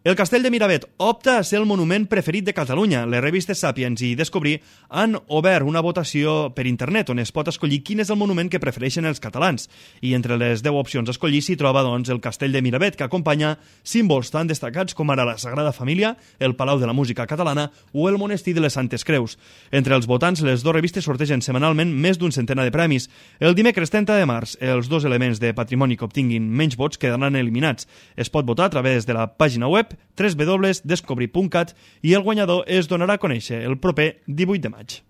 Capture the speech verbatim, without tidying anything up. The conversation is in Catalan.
El Castell de Miravet opta a ser el monument preferit de Catalunya. Les revistes Sàpiens i Descobrir han obert una votació per internet on es pot escollir quin és el monument que prefereixen els catalans. I entre les deu opcions a escollir s'hi troba doncs, el Castell de Miravet, que acompanya símbols tan destacats com ara la Sagrada Família, el Palau de la Música Catalana o el Monestir de les Santes Creus. Entre els votants, les dues revistes sortegen setmanalment més d'un centenar de premis. El dimecres trenta de març, els dos elements de patrimoni que obtinguin menys vots quedaran eliminats. Es pot votar a través de la pàgina web w w w punt descobrir punt cat i el guanyador es donarà a conèixer el proper divuit de maig.